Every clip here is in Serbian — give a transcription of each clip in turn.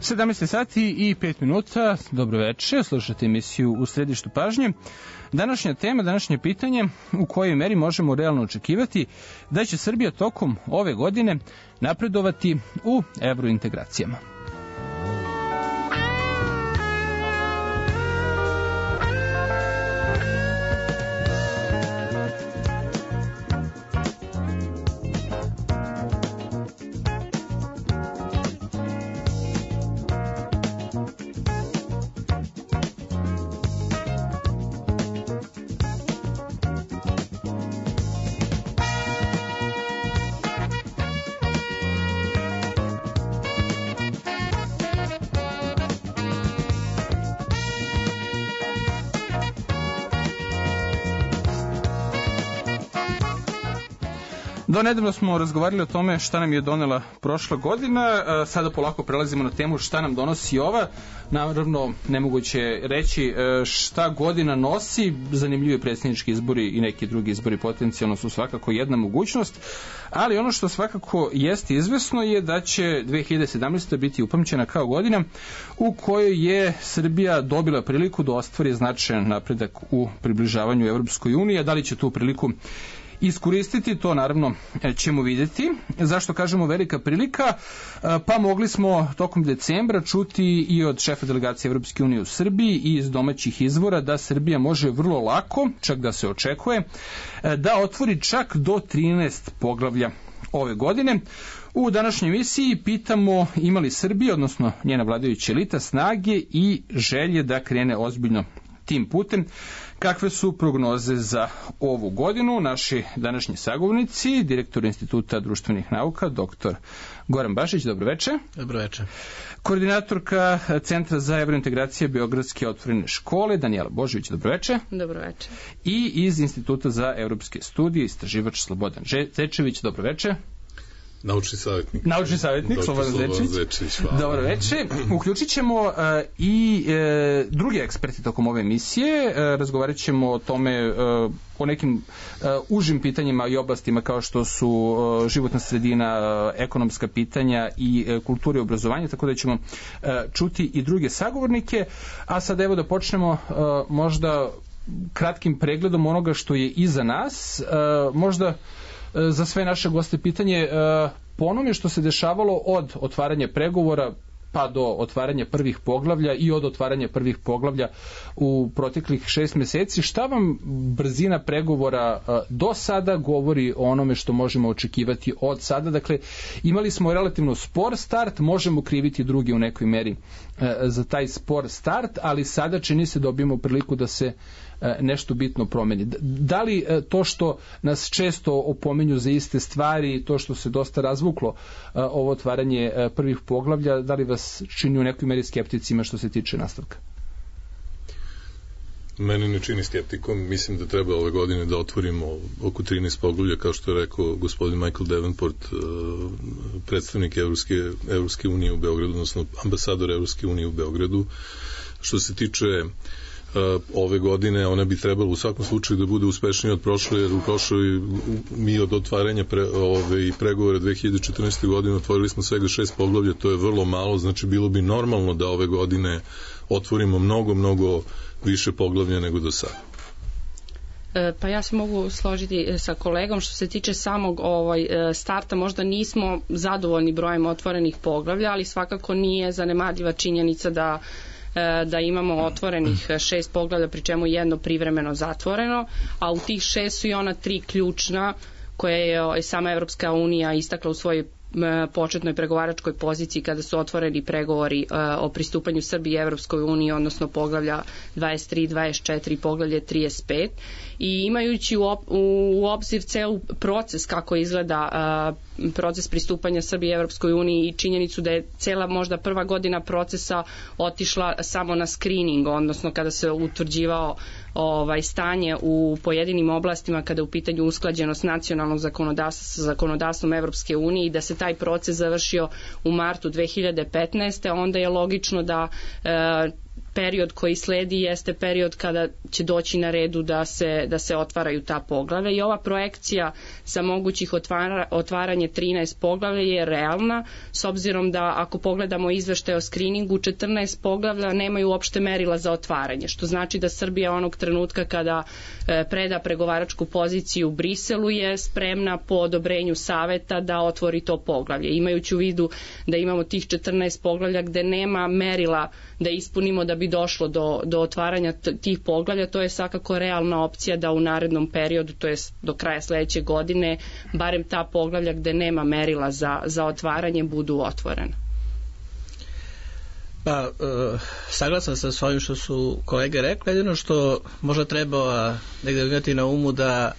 17 sati i 5 minuta, dobro večer, slušate emisiju U središtu pažnje. Današnja tema, današnje pitanje, u kojoj meri možemo realno očekivati da će Srbija tokom ove godine napredovati u evrointegracijama. Do nedavno smo razgovarali o tome šta nam je donela prošla godina, sada polako prelazimo na temu šta nam donosi ova. Naravno, nemoguće reći šta godina nosi, zanimljivi predsjednički izbori i neki drugi izbori potencijalno su svakako jedna mogućnost, ali ono što svakako jeste izvesno je da će 2017. biti upamćena kao godina u kojoj je Srbija dobila priliku da ostvari značajan napredak u približavanju Evropskoj uniji, a da li će tu priliku iskoristiti, to naravno ćemo vidjeti. Zašto kažemo velika prilika? Pa mogli smo tokom decembra čuti i od šefa delegacije Evropske unije u Srbiji i iz domaćih izvora da Srbija može vrlo lako, čak da se očekuje, da otvori čak do 13 poglavlja ove godine. U današnjoj emisiji pitamo ima li Srbija, odnosno njena vladajuća elita, snage i želje da krene ozbiljno tim putem. Kakve su prognoze za ovu godinu? Naši današnji sagovornici, direktor Instituta društvenih nauka, dr. Goran Bašić, dobroveče. Dobroveče. Koordinatorka Centra za evrointegracije Beogradske otvorene škole, Danijela Božović, dobroveče. Dobroveče. I iz Instituta za evropske studije, istraživač Slobodan Zečević, dobroveče. Naučni savjetnik. Naučni savjetnik, Slobodan Zečević. Dobro veče. Uključit ćemo i drugi eksperti tokom ove emisije. Razgovarat ćemo o tome, o nekim užim pitanjima i oblastima kao što su životna sredina, ekonomska pitanja i kultura i obrazovanje, tako da ćemo čuti i druge sagovornike. A sad evo da počnemo možda kratkim pregledom onoga što je iza nas. Možda za sve naše goste pitanje po onome što se dešavalo od otvaranja pregovora pa do otvaranja prvih poglavlja i od otvaranja prvih poglavlja u proteklih 6 meseci, šta vam brzina pregovora do sada govori o onome što možemo očekivati od sada? Dakle, imali smo relativno spor start, možemo kriviti drugi u nekoj meri za taj spor start, ali sada čini se dobijemo priliku da se nešto bitno promeni. Da li to što nas često opominju za iste stvari, to što se dosta razvuklo ovo otvaranje prvih poglavlja, da li vas čini u nekoj meri skepticima što se tiče nastavka? Mene ne čini skeptikom. Mislim da treba ove godine da otvorimo oko 13 poglavlja, kao što je rekao gospodin Michael Davenport, predstavnik Evropske unije u Beogradu, odnosno ambasador Evropske unije u Beogradu. Što se tiče ove godine, ona bi trebala u svakom slučaju da bude uspešnija od prošle, jer u prošloj mi od otvaranja pregovora 2014. godine otvorili smo svega 6 poglavlja, to je vrlo malo, znači bilo bi normalno da ove godine otvorimo mnogo više poglavlja nego do sada. Pa ja se mogu složiti sa kolegom što se tiče samog starta, možda nismo zadovoljni brojem otvorenih poglavlja, ali svakako nije zanemarljiva činjenica da imamo otvorenih 6 poglavlja, pri čemu jedno privremeno zatvoreno, a u tih 6 su i ona 3 ključna koje je sama Evropska unija istakla u svojoj početnoj pregovaračkoj poziciji kada su otvoreni pregovori o pristupanju Srbije Evropskoj uniji, odnosno poglavlja 23, 24 i poglavlje 35. I imajući u obzir ceo proces kako izgleda proces pristupanja Srbije Evropskoj uniji i činjenicu da je cela možda prva godina procesa otišla samo na screening, odnosno kada se utvrđivao stanje u pojedinim oblastima kada je u pitanju usklađenost nacionalnog zakonodavstva sa zakonodavstvom Evropske unije i da se taj proces završio u martu 2015. onda je logično da period koji sledi jeste period kada će doći na redu da se otvaraju ta poglavlja i ova projekcija sa mogućih otvaranje 13 poglavlja je realna, s obzirom da ako pogledamo izveštaj o skriningu, 14 poglavlja nemaju uopšte merila za otvaranje, što znači da Srbija onog trenutka kada preda pregovaračku poziciju u Briselu je spremna po odobrenju saveta da otvori to poglavlje. Imajući u vidu da imamo tih 14 poglavlja gde nema merila da ispunimo da bi došlo do otvaranja tih poglavlja, to je svakako realna opcija da u narednom periodu, to je do kraja sledeće godine, barem ta poglavlja gde nema merila za otvaranje budu otvorena. Pa, saglasan sam s ovim što su kolege rekli, jedino što možda treba negde imati na umu da,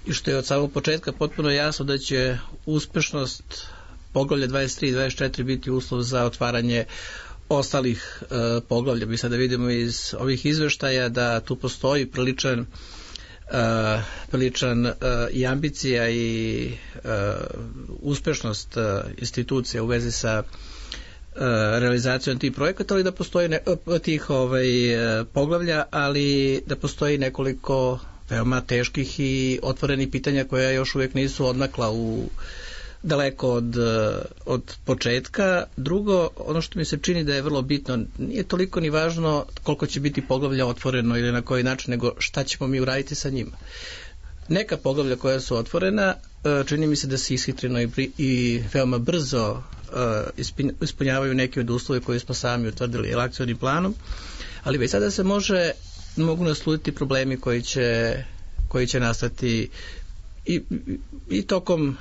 i što je od samog početka potpuno jasno, da će uspešnost poglavlja 23 i 24 biti uslov za otvaranje ostalih poglavlja. Mi sada vidimo iz ovih izveštaja da tu postoji priličan i ambicija i uspešnost institucija u vezi sa realizacijom tih projekata, ali da postoji tih poglavlja, ali da postoji nekoliko veoma teških i otvorenih pitanja koja još uvijek nisu odmakla daleko od početka. Drugo, ono što mi se čini da je vrlo bitno, nije toliko ni važno koliko će biti poglavlja otvoreno ili na koji način, nego šta ćemo mi uraditi sa njima. Neka poglavlja koja su otvorena, čini mi se da se ishitreno i veoma brzo ispunjavaju neki od uslove koje smo sami utvrdili akcionim planom, ali već sada se mogu nasluditi problemi koji će nastati i tokom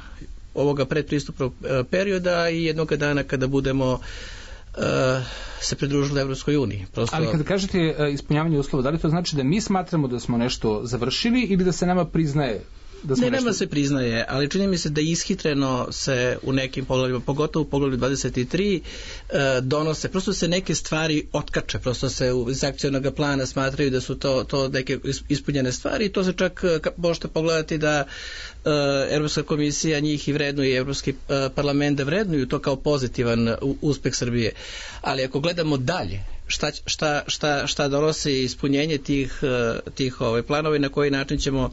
ovoga predpristupnog perioda i jednog dana kada budemo se pridružili Evropskoj uniji. Ali kada kažete ispunjavanje uslova, da li to znači da mi smatramo da smo nešto završili ili da se nama priznaje da smo nema se priznaje, ali čini mi se da ishitreno se u nekim poglavljima, pogotovo u poglavlju 23, donose, prosto se neke stvari otkače, prosto se iz akcionog plana smatraju da su to neke ispunjene stvari i to se čak možete pogledati da Evropska komisija njih i vrednuje i Evropski parlament da vrednuju to kao pozitivan uspeh Srbije. Ali ako gledamo dalje, šta donosi ispunjenje tih planova i na koji način ćemo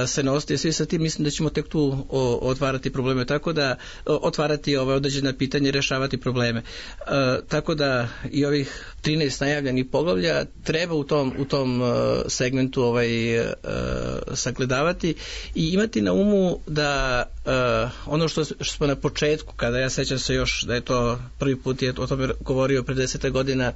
se nositi svi sa tim, mislim da ćemo tek tu otvarati probleme, tako da otvarati određena pitanja i rešavati probleme. Tako da i ovih 13 najavljenih poglavlja treba u tom segmentu sagledavati i imati na umu da ono što smo na početku, kada ja sećam se još da je to prvi put je o tome govorio pre 10 godina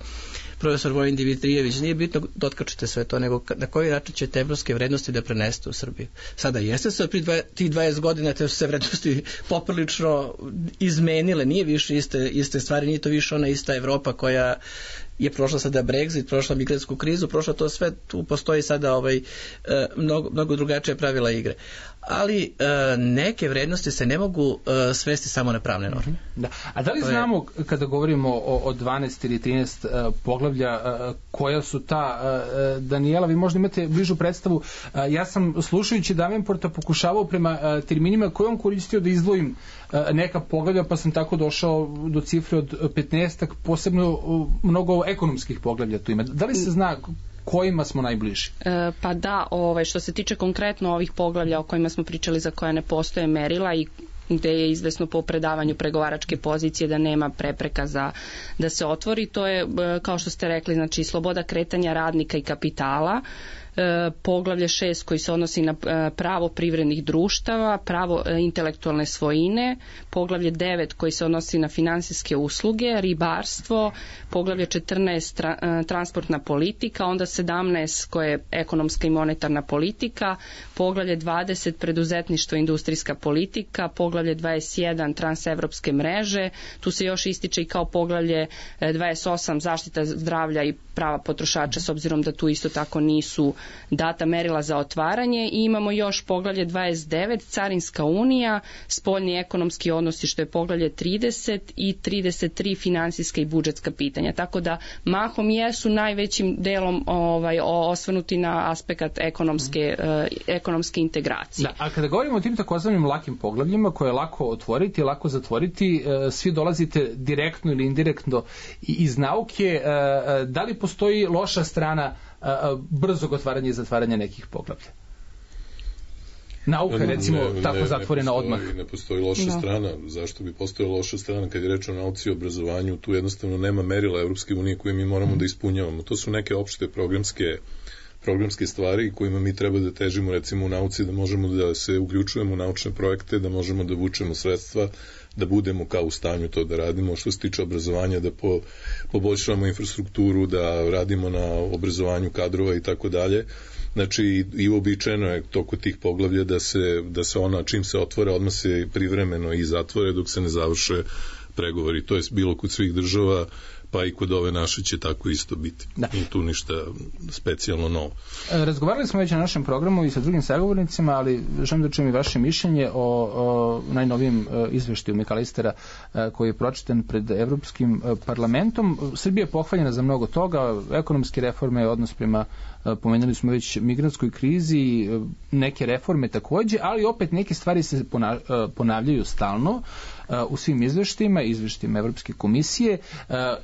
profesor Vojin Dimitrijević, nije bitno da otkačite sve to, nego na koji način ćete evropske vrednosti da prenesete u Srbiju. Sada jeste se pri tih 20 godina te su se vrednosti poprilično izmenile, nije više iste stvari, nije to više ona ista Evropa koja je prošla sada Brexit, prošla migrantsku krizu, prošla to sve, tu postoji sada mnogo drugačije pravila igre. Ali neke vrednosti se ne mogu svesti samo na pravne norme. Da. A da li znamo, kada govorimo o 12 ili 13 poglavlja, koja su ta, Danijela, vi možda imate bližu predstavu, ja sam slušajući Davenporta pokušavao prema terminima koje on koristio da izdvojim neka poglavlja, pa sam tako došao do cifre od 15, posebno mnogo ekonomskih poglavlja tu ima. Da li se zna kojima smo najbliži? Pa da, što se tiče konkretno ovih poglavlja o kojima smo pričali za koja ne postoje merila i gde je izvesno po predavanju pregovaračke pozicije da nema prepreka da se otvori, to je, kao što ste rekli, znači sloboda kretanja radnika i kapitala, poglavlje 6 koji se odnosi na pravo privrednih društava, pravo intelektualne svojine, poglavlje 9 koji se odnosi na finansijske usluge, ribarstvo, poglavlje 14 transportna politika, onda 17 koje je ekonomska i monetarna politika, poglavlje 20 preduzetništvo i industrijska politika, poglavlje 21 transevropske mreže, tu se još ističe i kao poglavlje 28 zaštita zdravlja i prava potrošača, s obzirom da tu isto tako nisu data merila za otvaranje i imamo još poglavlje 29, Carinska unija, spoljni ekonomski odnosi što je poglavlje 30 i 33 finansijska i budžetska pitanja. Tako da mahom jesu najvećim delom osvrnuti na aspekt ekonomske integracije. Da, a kada govorimo o tim takozvanim lakim poglavljima koje je lako otvoriti, lako zatvoriti, svi dolazite direktno ili indirektno iz nauke, da li postoji loša strana brzog otvaranja i zatvaranja nekih poglavlja? Nauka, recimo, tako zatvorena odmah. Ne postoji loša strana. Zašto bi postojala loša strana? Kad je reč o nauci i obrazovanju, tu jednostavno nema merila Evropske unije koje mi moramo da ispunjavamo. To su neke opšte programske stvari kojima mi treba da težimo, recimo u nauci, da možemo da se uključujemo u naučne projekte, da možemo da vučemo sredstva, da budemo kao u stanju to da radimo. Što se tiče obrazovanja, da poboljšavamo infrastrukturu, da radimo na obrazovanju kadrova i tako dalje. Znači, i uobičajeno je toko tih poglavlja da se ona, čim se otvore, odmah se privremeno i zatvore dok se ne završe pregovori. To je bilo kod svih država, pa i kod ove naše će tako isto biti. Da. I tu ništa specijalno novo. Razgovarali smo već na našem programu i sa drugim sagovornicima, ali želim da čujem i vaše mišljenje o najnovijem izveštaju McAllistera koji je pročitan pred Evropskim parlamentom. Srbija je pohvaljena za mnogo toga, ekonomske reforme, odnos prema, pomenuli smo već, migrantskoj krizi, neke reforme takođe, ali opet neke stvari se ponavljaju stalno u svim izveštajima Evropske komisije.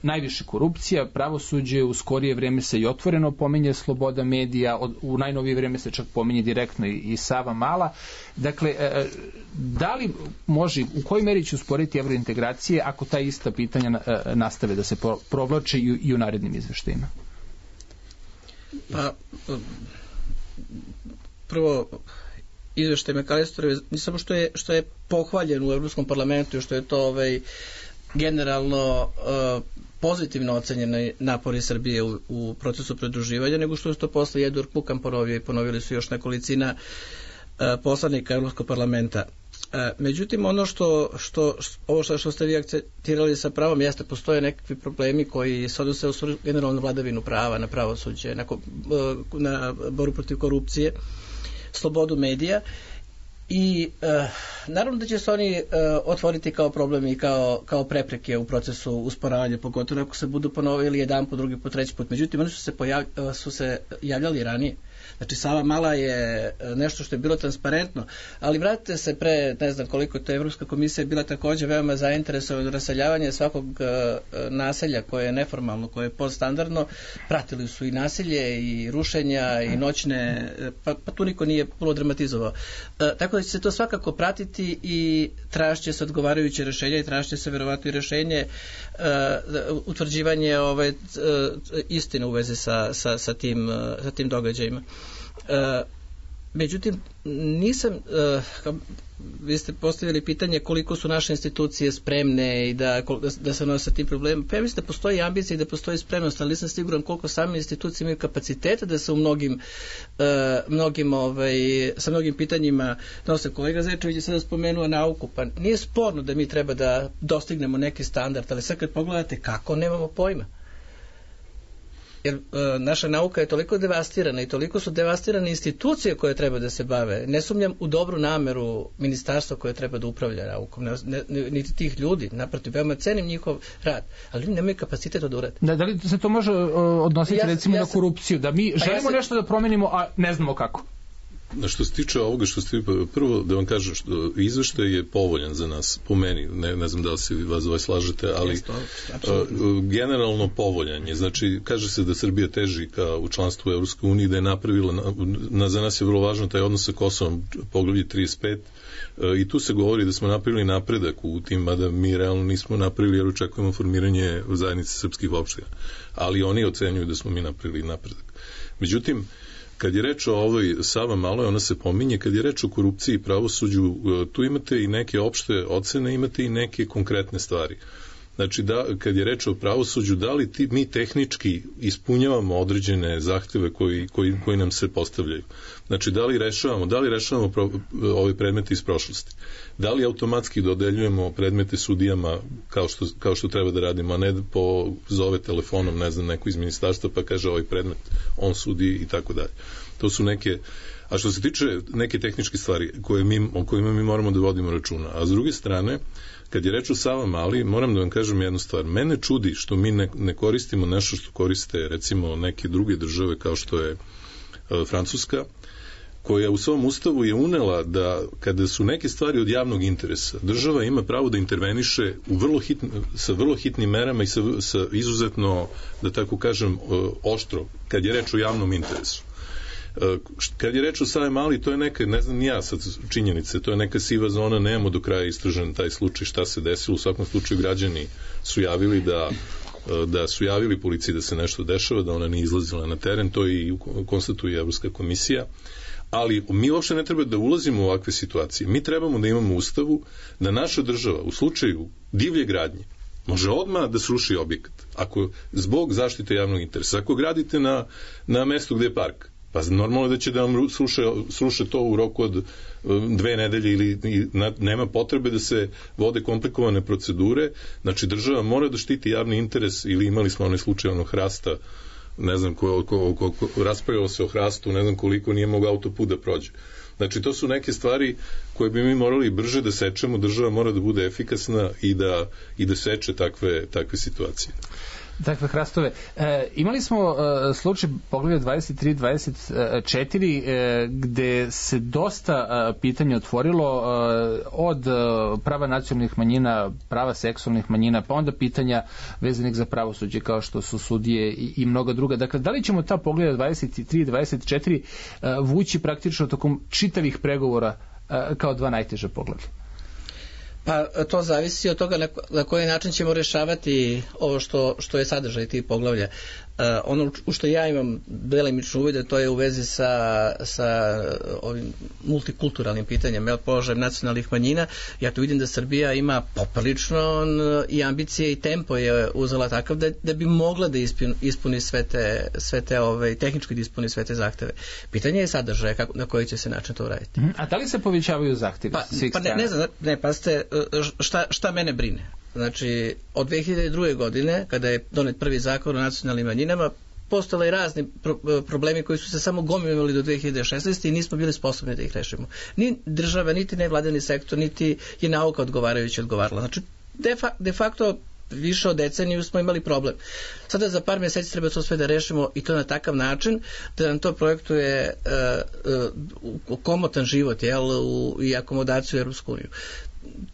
Najviše korupcija, pravosuđe, u skorije vreme se i otvoreno pominje sloboda medija, u najnovije vreme se čak pominje direktno i Sava Mala. Dakle, da li može, u kojoj meri će usporiti evrointegracije ako ta ista pitanja nastave da se provlače i u narednim izveštajima? Pa, prvo, izveštaj McAllisterove, ne samo što je pohvaljen u Evropskom parlamentu i što je to generalno pozitivno ocenjeni napori Srbije u procesu pridruživanja, nego što je to posle Edward Kukan ponovio i ponovili su još nekolicina poslanika Evropskog parlamenta. Međutim, ono što ste vi akcentirali sa pravom jeste, postoje nekakvi problemi koji se odnose u generalnu vladavinu prava, na pravosuđe, na boru protiv korupcije, slobodu medija i naravno da će se oni otvoriti kao problem i kao prepreke u procesu usporavanja, pogotovo ako se budu ponovili jedan po drugi po treći put. Međutim, oni su se javljali ranije. Znači, Sava Mala je nešto što je bilo transparentno, ali vratite se pre, ne znam koliko, to je Evropska komisija bila takođe veoma zainteresovana raseljavanje svakog naselja koje je neformalno, koje je podstandardno, pratili su i nasilje i rušenja i noćne, pa tu niko nije puno dramatizovao. Tako da će se to svakako pratiti i tražit će se odgovarajuće rešenje i tražit će se verovatno i rešenje utvrđivanje istine u vezi sa tim događajima. Međutim, vi ste postavili pitanje koliko su naše institucije spremne i da se nose sa tim problemima. Pa ja mislim da postoji ambicija i da postoji spremnost, ali nisam siguran koliko same institucije imaju kapaciteta da se u sa mnogim pitanjima nose. Kolega Zečević je sada spomenuo nauku, pa nije sporno da mi treba da dostignemo neki standard, ali sad kad pogledate kako, nemamo pojma. Jer naša nauka je toliko devastirana i toliko su devastirane institucije koje treba da se bave. Ne sumnjam u dobru nameru ministarstva koje treba da upravlja naukom, niti tih ljudi, naprotiv, veoma cenim njihov rad, ali nemaju kapacitet da urade. Da li se to može odnositi recimo na korupciju, da mi želimo nešto da promenimo, a ne znamo kako? Što se tiče ovoga prvo da vam kažem što izveštaj je povoljan za nas, po meni, ne znam da li se vas slažete, ali generalno povoljan je. Znači, kaže se da Srbija teži ka u članstvu Evropske unije, da je napravila, za nas je vrlo važno taj odnos sa Kosovom, poglavlje 35, i tu se govori da smo napravili napredak u tim, mada mi realno nismo napravili jer očekujemo formiranje zajednice srpskih opština, ali oni ocenjuju da smo mi napravili napredak. Međutim, kad je reč o ovoj Sava Maloj, ona se pominje, kad je reč o korupciji i pravosuđu, tu imate i neke opšte ocene, imate i neke konkretne stvari. Znači, kad je reč o pravosuđu, da li mi tehnički ispunjavamo određene zahteve koji nam se postavljaju? Znači, da li rešavamo ove predmete iz prošlosti? Da li automatski dodeljujemo predmete sudijama kao što treba da radimo, a ne zove telefonom, ne znam, neko iz ministarstva pa kaže ovaj predmet, on sudi i tako dalje. To su neke. A što se tiče neke tehničke stvari o kojima mi moramo da vodimo računa, a s druge strane, kad je reč o Savamali, moram da vam kažem jednu stvar. Mene čudi što mi ne koristimo nešto što koriste, recimo, neke druge države kao što je Francuska, koja u svom ustavu je unela da kada su neke stvari od javnog interesa, država ima pravo da interveniše sa vrlo hitnim merama i sa izuzetno, da tako kažem, oštro, kad je reč o javnom interesu. Kad je reč o Savamali, to je neka, ne znam ni ja sad činjenice, to je neka siva zona, nemamo do kraja istražen taj slučaj šta se desilo. U svakom slučaju građani su javili da su javili policiji da se nešto dešava, da ona nije izlazila na teren, to i konstatuje Evropska komisija. Ali mi uopšte ne treba da ulazimo u ovakve situacije. Mi trebamo da imamo u ustavu da naša država u slučaju divlje gradnje može odmah da sruši objekat. Ako zbog zaštite javnog interesa, ako gradite na mestu gde je park, pa normalno da će da vam sruše to u roku od 2 nedelje ili nema potrebe da se vode komplikovane procedure. Znači, država mora da štiti javni interes, ili imali smo onaj slučaj onog hrasta, ne znam, raspravljalo se o hrastu, ne znam koliko nije mogao autoput da prođe. Znači, to su neke stvari koje bi mi morali brže da sečemo, država mora da bude efikasna i da seče takve situacije. Takve hrastove. Imali smo slučaj poglavlja 23-24 gde se dosta pitanja otvorilo od prava nacionalnih manjina, prava seksualnih manjina, pa onda pitanja vezanih za pravosuđe kao što su sudije i mnoga druga. Dakle, da li ćemo ta poglavlja 23-24 vući praktično tokom čitavih pregovora kao dva najteža poglavlja? Pa to zavisi od toga na koji način ćemo rešavati ovo što je sadržaj tih poglavlja. Ono u što ja imam delimično uvide, to je u vezi sa ovim multikulturalnim pitanjem, položajem nacionalnih manjina. Ja tu vidim da Srbija ima poprilično i ambicije i tempo je uzela takav da bi mogla da ispuni sve te tehnički da ispuni sve te zahteve. Pitanje je sadržaja na koji će se način to uraditi. A da li se povećavaju zahtjevi? Pa ne znam, pazite, šta mene brine? Znači, od 2002. godine, kada je donet prvi zakon o nacionalnim manjinama, postale i razni problemi koji su se samo gomilali do 2016. i nismo bili sposobni da ih rešimo. Ni država, niti nevladini sektor, niti je nauka odgovarajući odgovarala. Znači, de facto, više od deceniju smo imali problem. Sada za par mjeseci treba to sve da rešimo i to na takav način da nam to projektuje komotan život i akomodaciju u Europsku uniju.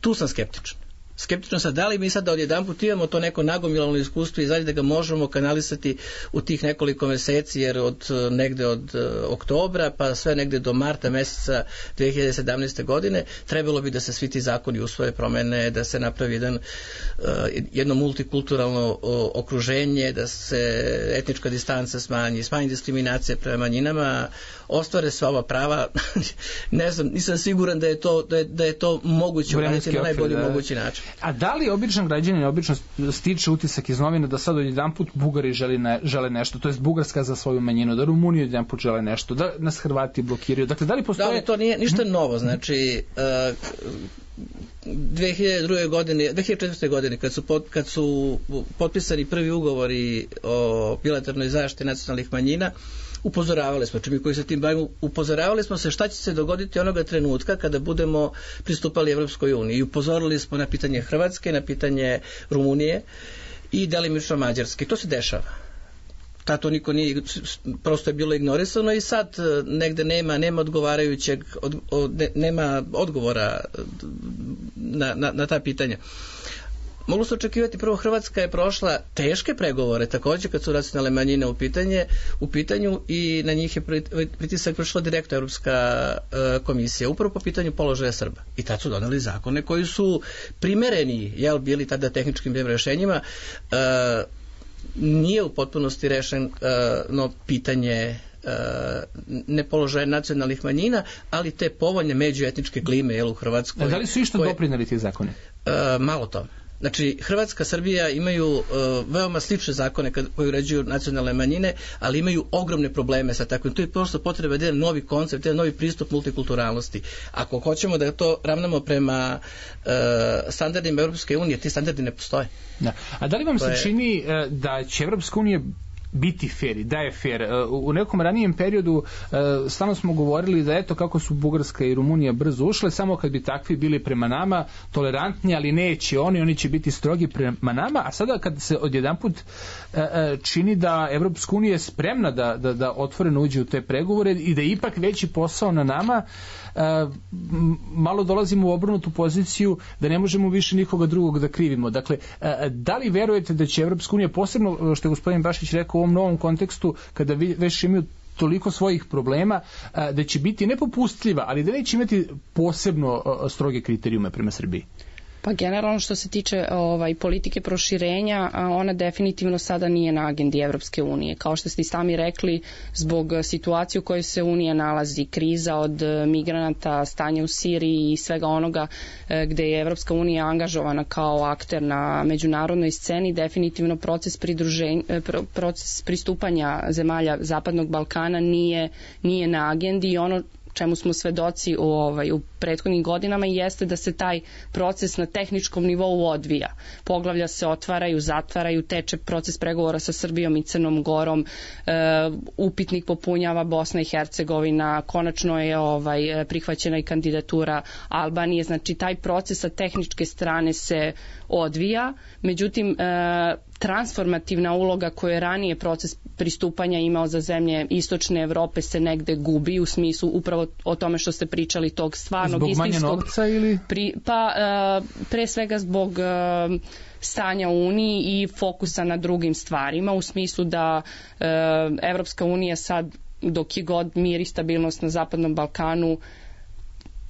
Tu sam skeptičan. Skeptično sad, da li mi sad da odjedanput imamo to neko nagomilano iskustvo i zaista da ga možemo kanalisati u tih nekoliko meseci, jer negde od oktobra pa sve negde do marta meseca 2017. godine trebalo bi da se svi ti zakoni usvoje, promene, da se napravi jedno multikulturalno okruženje, da se etnička distanca smanji diskriminacije prema manjinama, ostvare sva ova prava. Ne znam, nisam siguran da je to moguće uraditi na najbolji mogući način. A da li običan građanin obično stiče utisak iz novina da sad odjedanput Bugari žele nešto, to jest Bugarska za svoju manjinu, da Rumunija odjedanput žele nešto, da nas Hrvati blokiraju. Dakle, da li postoje... Da li to nije ništa novo, znači 2004. godine kad su potpisani prvi ugovori o bilateralnoj zaštiti nacionalnih manjina, upozoravali smo, mi koji se tim bavimo, upozoravali smo se šta će se dogoditi onoga trenutka kada budemo pristupali Evropskoj uniji. I upozorili smo na pitanje Hrvatske, na pitanje Rumunije i delimično Mađarske. To se dešava. To niko nije, prosto je bilo ignorisano i sad negde nema odgovarajućeg, nema odgovora na ta pitanja. Moglo se očekivati, prvo Hrvatska je prošla teške pregovore također kad su nacionalne manjine u pitanju i na njih je pritisak vršila direktno Europska komisija upravo po pitanju položaja Srba. I tad su doneli zakone koji su primereni, bili tada tehničkim rešenjima. Nije u potpunosti rešeno pitanje ne položaja nacionalnih manjina, ali te povoljne međuetničke klime u Hrvatskoj. Da li su išta doprineli ti zakoni? Malo tome. Znači, Hrvatska, Srbija imaju veoma slične zakone koji uređuju nacionalne manjine, ali imaju ogromne probleme sa takvim. To je prosto potreba jedan novi koncept, jedan novi pristup multikulturalnosti. Ako hoćemo da to ravnamo prema standardima Europske unije, ti standardi ne postoje. Da. A da li vam se čini da će Evropska unija biti fair i da je fair? U nekom ranijem periodu stalno smo govorili da eto kako su Bugarska i Rumunija brzo ušle, samo kad bi takvi bili prema nama tolerantni, ali neće oni će biti strogi prema nama, a sada kad se odjedanput čini da Evropska unija je spremna da otvoreno uđe u te pregovore i da je ipak veći posao na nama, malo dolazimo u obrnutu poziciju da ne možemo više nikoga drugog da krivimo. Dakle, da li verujete da će Evropska unija, posebno što je gospodin Bašić rekao u ovom novom kontekstu, kada već imaju toliko svojih problema, da će biti nepopustljiva, ali da neće imati posebno stroge kriterijume prema Srbiji? Pa generalno što se tiče politike proširenja, ona definitivno sada nije na agendi Evropske unije. Kao što ste i sami rekli, zbog situacije u kojoj se Unija nalazi, kriza od migranata, stanje u Siriji i svega onoga gde je Evropska unija angažovana kao akter na međunarodnoj sceni, definitivno proces pristupanja zemalja Zapadnog Balkana nije na agendi i ono čemu smo svedoci u prethodnim godinama jeste da se taj proces na tehničkom nivou odvija. Poglavlja se otvaraju, zatvaraju, teče proces pregovora sa Srbijom i Crnom Gorom, upitnik popunjava Bosna i Hercegovina, konačno je prihvaćena i kandidatura Albanije, znači taj proces sa tehničke strane se odvija, međutim transformativna uloga koju je ranije proces pristupanja imao za zemlje istočne Evrope se negde gubi u smislu upravo o tome što ste pričali tog stvarnog istinskog... Zbog manje novca ili? Pre svega zbog stanja u Uniji i fokusa na drugim stvarima u smislu da Evropska unija sad dok je god mir i stabilnost na Zapadnom Balkanu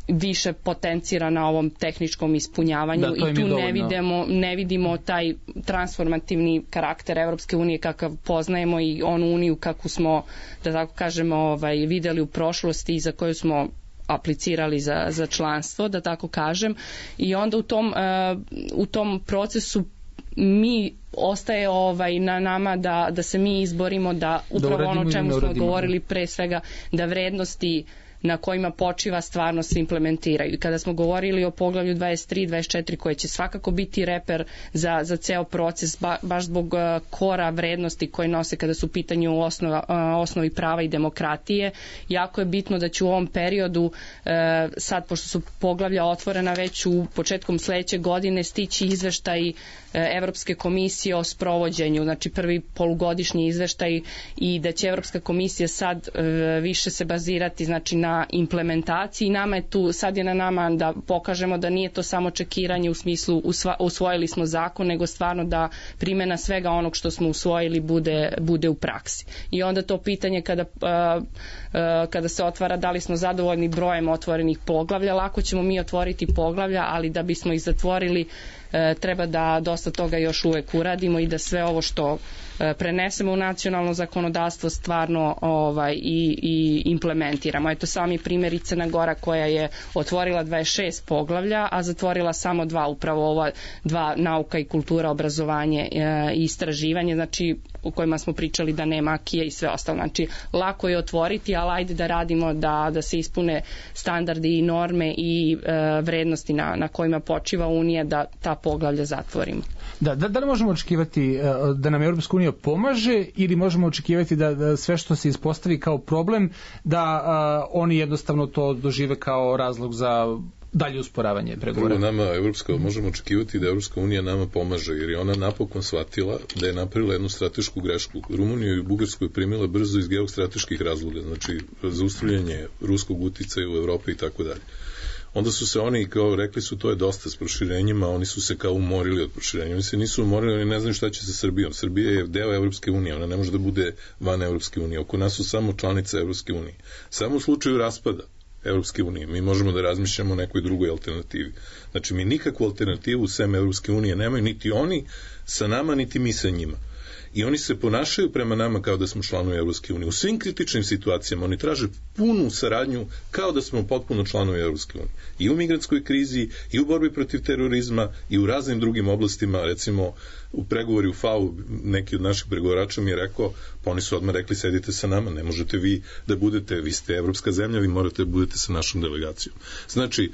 više potencira na ovom tehničkom ispunjavanju i tu ne vidimo taj transformativni karakter Evropske unije kakav poznajemo i onu uniju kakvu smo, da tako kažemo, videli u prošlosti i za koju smo aplicirali za članstvo, da tako kažem, i onda u tom procesu mi ostaje na nama da se mi izborimo da upravo ono čemu smo govorili pre svega, da vrednosti na kojima počiva stvarno se implementiraju. I kada smo govorili o poglavlju 23, 24 koje će svakako biti reper za ceo proces, baš zbog kora vrednosti koje nose kada su u pitanju osnovi prava i demokratije, jako je bitno da će u ovom periodu, sad pošto su poglavlja otvorena već u početkom sledeće godine, stići izveštaj Evropske komisije o sprovođenju, znači prvi polugodišnji izveštaj i da će Evropska komisija sad više se bazirati znači na implementaciji. Nama je tu, sad je na nama da pokažemo da nije to samo čekiranje u smislu usvojili smo zakon, nego stvarno da primjena svega onog što smo usvojili bude u praksi. I onda to pitanje kada se otvara da li smo zadovoljni brojem otvorenih poglavlja, lako ćemo mi otvoriti poglavlja, ali da bismo ih zatvorili treba da dosta toga još uvek uradimo i da sve ovo što prenesemo u nacionalno zakonodavstvo stvarno i implementiramo. Eto sami primjer i Crna Gora koja je otvorila 26 poglavlja, a zatvorila samo 2, upravo ova 2, nauka i kultura, obrazovanje i istraživanje, znači u kojima smo pričali da nema akije i sve ostalo. Znači lako je otvoriti, ali ajde da radimo da se ispune standardi i norme i vrednosti na kojima počiva Unija, da ta poglavlja zatvorimo. Da li možemo očekivati da nam Europska unija pomaže ili možemo očekivati da sve što se ispostavi kao problem, da oni jednostavno to dožive kao razlog za dalje usporavanje pregovora? Nama možemo očekivati da Evropska unija nama pomaže, jer je ona napokon shvatila da je napravila jednu stratešku grešku. Rumuniju i Bugarsku je primila brzo iz geostrateških razloga, znači zaustavljanje ruskog uticaja u Evropi i tako dalje. Onda su se oni, kao rekli su, to je dosta s proširenjima, oni su se kao umorili od proširenja. Oni se nisu umorili, oni ne znaju šta će sa Srbijom. Srbija je deo Evropske unije, ona ne može da bude van Evropske unije. Oko nas su samo članice Evropske unije. Samo u slučaju raspada Evropske unije mi možemo da razmišljamo o nekoj drugoj alternativi. Znači, mi nikakvu alternativu sem Evropske unije nemaju, niti oni sa nama, niti mi sa njima. I oni se ponašaju prema nama kao da smo članovi Evropske unije. U svim kritičnim situacijama oni traže punu saradnju kao da smo potpuno članovi Evropske unije. I u migrantskoj krizi, i u borbi protiv terorizma, i u raznim drugim oblastima, recimo u pregovori u FAO, neki od naših pregovarača mi je rekao, pa oni su odmah rekli, sedite sa nama, ne možete vi da budete, vi ste evropska zemlja, vi morate da budete sa našom delegacijom. Znači,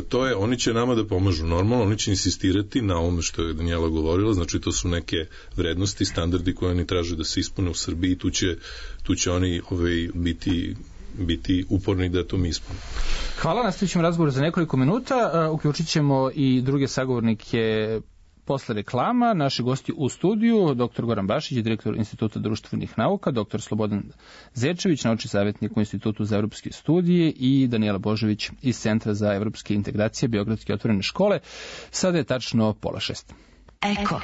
to je, oni će nama da pomažu normalno, oni će insistirati na ovome što je Danijela govorila, znači to su neke vrednosti, standardi koje oni traže da se ispune u Srbiji i tu će oni biti uporni da to mi ispunimo. Hvala, nastavit ćemo razgovor za nekoliko minuta, uključit ćemo i druge sagovornike posle reklama. Naši gosti u studiju, dr. Goran Bašić, direktor Instituta društvenih nauka, dr. Slobodan Zečević, naučni savjetnik u Institutu za evropske studije i Danijela Božović iz Centra za evropske integracije Beogradske otvorene škole. Sada je tačno 5:30. Eko.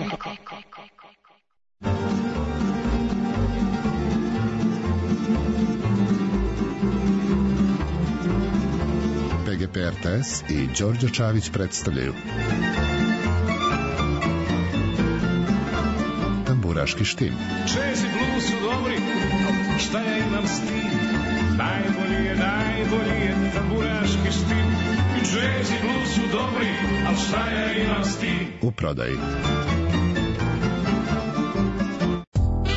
PGP RTS i Đorđe Čavić predstavljaju Tamburaški štim. Jazz i blues su dobri, šta ja imam s tim? Najbolji je tamburaški štim. Jazz i blues su dobri, ali šta ja imam s tim? U prodaji.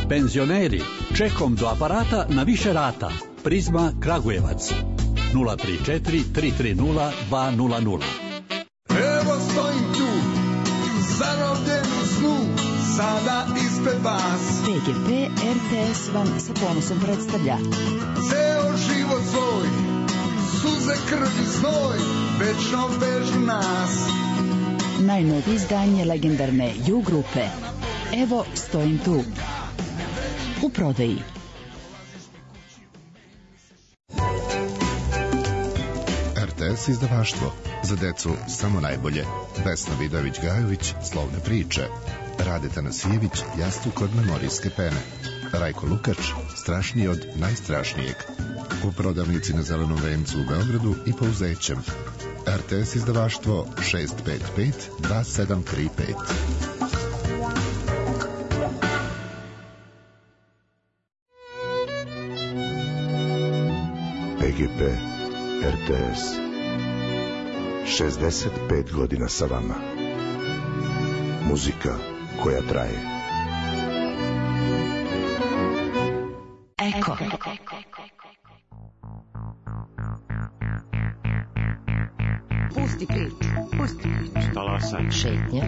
Penzioneri, čekom do aparata na više rata. Prizma Kragujevac. 034 330 200. Evo stojim tu, zarobljen u snu, sada ispred vas. PGP RTS vam sa ponosom predstavlja Ceo život svoj, suze, krv i znoj, večno vežu nas. najnovije izdanje legendarne U grupe. Evo stojim tu. U prodaji. RTS izdavaštvo. Za decu samo najbolje. Vesna Vidović-Gajović, Slovne priče. Rade Tanasijević, Jastuk od memorijske pene. Rajko Lukač, Strašniji od najstrašnijeg. U prodavnici na Zelenom vencu u Beogradu i po Uzećem. RTS izdavaštvo 655 2735. PGP RTS 65 godina sa vama. Muzika koja traje. Eko. Pusti priču. Talasaj. Šetnja.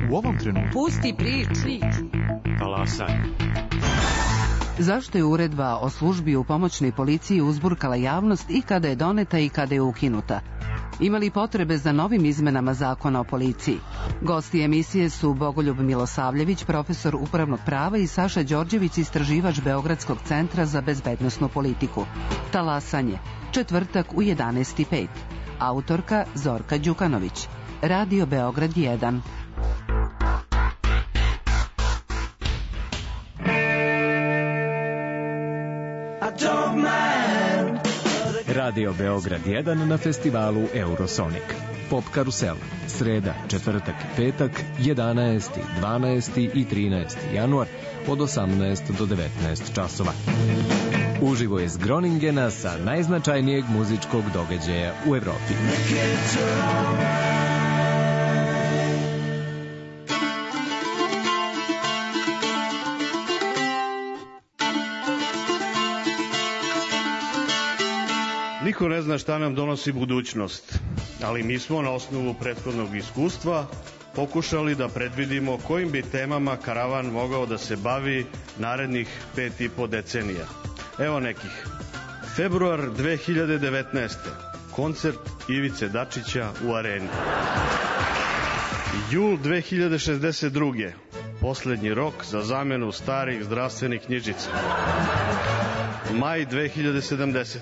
U ovom trenutku. Pusti priču. Talasaj. Zašto je uredba o službi u pomoćnoj policiji uzburkala javnost i kada je doneta i kada je ukinuta? Ima li potrebe za novim izmenama zakona o policiji? Gosti emisije su Bogoljub Milosavljević, profesor upravnog prava, i Saša Đorđević, istraživač Beogradskog centra za bezbednosnu politiku. Talasanje, četvrtak u 11:05. Autorka Zorka Đukanović. Radio Beograd 1. Radio Beograd 1 na festivalu Eurosonic. Pop Karusel. Sreda, četvrtak i petak, 11., 12. i 13. januar od 18 do 19 časova. Uživo iz Groningena sa najznačajnijeg muzičkog događaja u Evropi. Niko ne zna šta nam donosi budućnost, ali mi smo na osnovu prethodnog iskustva pokušali da predvidimo kojim bi temama karavan mogao da se bavi narednih 5,5 decenija. Evo nekih. Februar 2019. Koncert Ivice Dačića u Areni. Jul 2062. Poslednji rok za zamenu starih zdravstvenih knjižica. Maj 2070.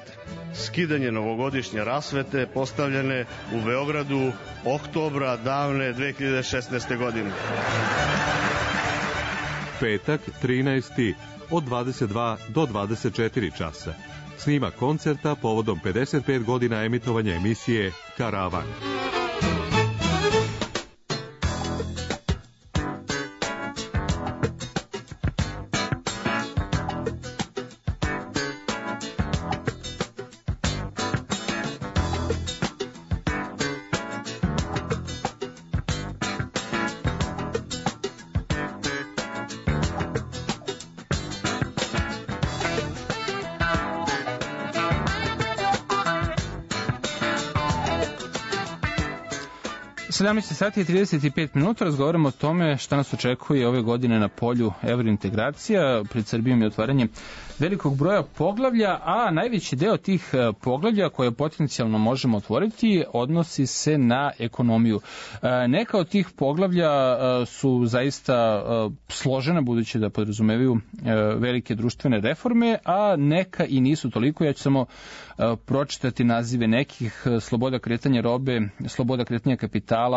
Skidanje novogodišnje rasvete postavljene u Beogradu oktobra davne 2016. godine. Petak 13. od 22 do 24 časa. Snima koncerta povodom 55 godina emitovanja emisije Karavan. 17 sati i 35 minuta razgovaramo o tome šta nas očekuje ove godine na polju evrointegracija. Pred Srbijom je otvaranje velikog broja poglavlja, a najveći deo tih poglavlja koje potencijalno možemo otvoriti odnosi se na ekonomiju. Neka od tih poglavlja su zaista složena, budući da podrazumevaju velike društvene reforme, a neka i nisu toliko. Ja ću samo pročitati nazive nekih: sloboda kretanja robe, sloboda kretanja kapitala,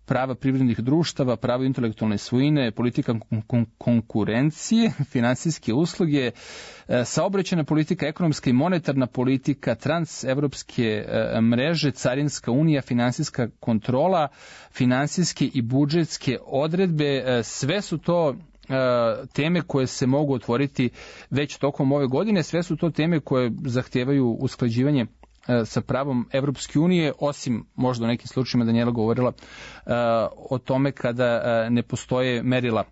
prava privrednih društava, pravo intelektualne svojine, politika konkurencije, finansijske usluge, saobraćajna politika, ekonomska i monetarna politika, transevropske mreže, carinska unija, finansijska kontrola, finansijske i budžetske odredbe. Sve su to teme koje se mogu otvoriti već tokom ove godine. Sve su to teme koje zahtevaju usklađivanje sa pravom Evropske unije, osim možda u nekim slučajima Danijela govorila o tome kada ne postoje merila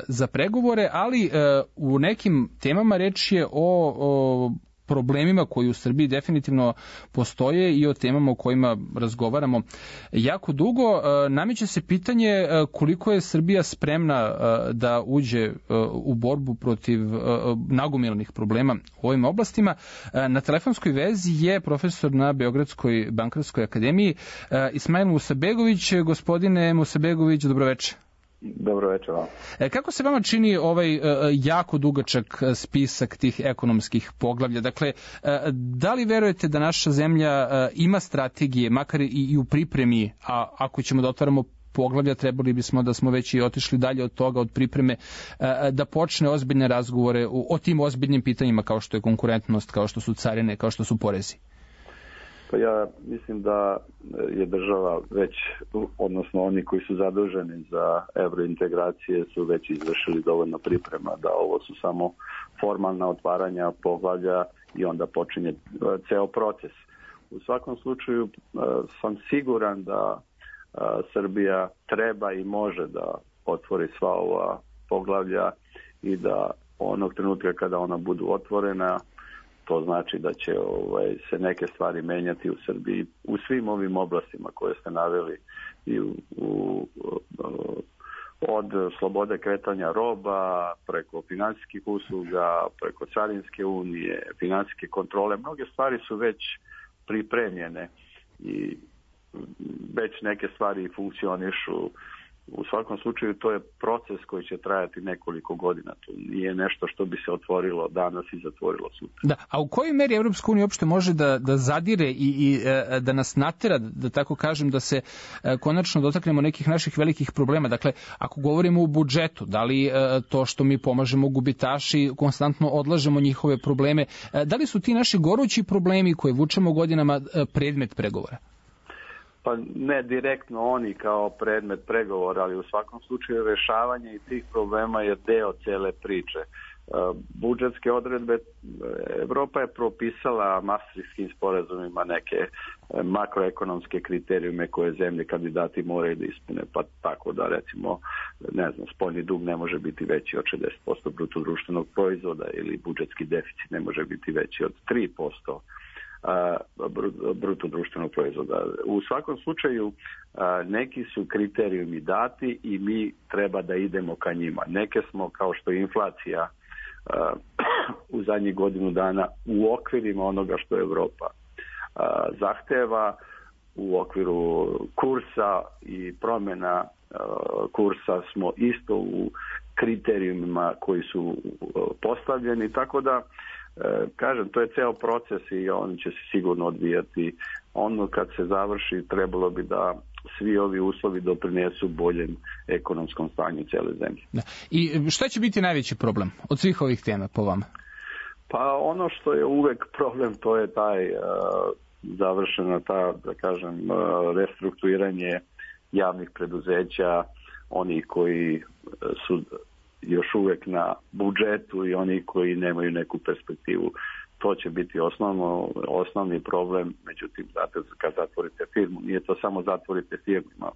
za pregovore, ali u nekim temama reč je o problemima koji u Srbiji definitivno postoje i o temama o kojima razgovaramo jako dugo. Nameće se pitanje koliko je Srbija spremna da uđe u borbu protiv nagomilanih problema u ovim oblastima. Na telefonskoj vezi je profesor na Beogradskoj bankarskoj akademiji Ismail Musabegović. Gospodine Musabegović, dobroveče. Dobro večer vam. Kako se vama čini ovaj jako dugačak spisak tih ekonomskih poglavlja? Dakle, da li verujete da naša zemlja ima strategije, makar i u pripremi, a ako ćemo da otvaramo poglavlja, trebali bismo da smo već i otišli dalje od toga, od pripreme, da počne ozbiljne razgovore o tim ozbiljnim pitanjima kao što je konkurentnost, kao što su carine, kao što su porezi? Pa ja mislim da je država već, odnosno oni koji su zaduženi za evrointegracije su već izvršili dovoljno priprema, da ovo su samo formalna otvaranja poglavlja i onda počinje ceo proces. U svakom slučaju sam siguran da Srbija treba i može da otvori sva ova poglavlja i da onog trenutka kada ona budu otvorena, to znači da će se neke stvari menjati u Srbiji u svim ovim oblastima koje ste naveli, i od slobode kretanja roba, preko finansijskih usluga, preko carinske unije, finansijske kontrole. Mnoge stvari su već pripremljene i već neke stvari funkcionišu. U svakom slučaju to je proces koji će trajati nekoliko godina. To nije nešto što bi se otvorilo danas i zatvorilo sutra. Da, a u kojoj meri Evropska unija uopšte može da zadire i da nas natera, da tako kažem, da se konačno dotaknemo nekih naših velikih problema? Dakle, ako govorimo o budžetu, da li to što mi pomažemo gubitaši, konstantno odlažemo njihove probleme, da li su ti naši gorući problemi koje vučemo godinama predmet pregovora? Pa ne direktno oni kao predmet pregovora, ali u svakom slučaju rešavanje i tih problema je deo cele priče. Budžetske odredbe, Evropa je propisala Maastrichtskim sporazumima neke makroekonomske kriterijume koje zemlje kandidati moraju da ispune, pa tako da recimo, ne znam, spoljni dug ne može biti veći od 60% bruto društvenog proizvoda ili budžetski deficit ne može biti veći od 3% bruto društvenog proizvoda. U svakom slučaju neki su kriterijumi dati i mi treba da idemo ka njima. Neke smo, kao što je inflacija u zadnjih godinu dana, u okvirima onoga što Evropa zahteva, u okviru kursa i promjena kursa smo isto u kriterijumima koji su postavljeni, tako da kažem, to je ceo proces i on će se sigurno odvijati. Ono kad se završi, trebalo bi da svi ovi uslovi doprinesu boljem ekonomskom stanju cele zemlje. Da. I šta će biti najveći problem od svih ovih tema po vama? Pa ono što je uvek problem, to je taj završena ta, da kažem, restrukturiranje javnih preduzeća, oni koji su još uvek na budžetu i oni koji nemaju neku perspektivu. To će biti osnovni problem. Međutim, kad zatvorite firmu, nije to samo zatvorite firmu, ima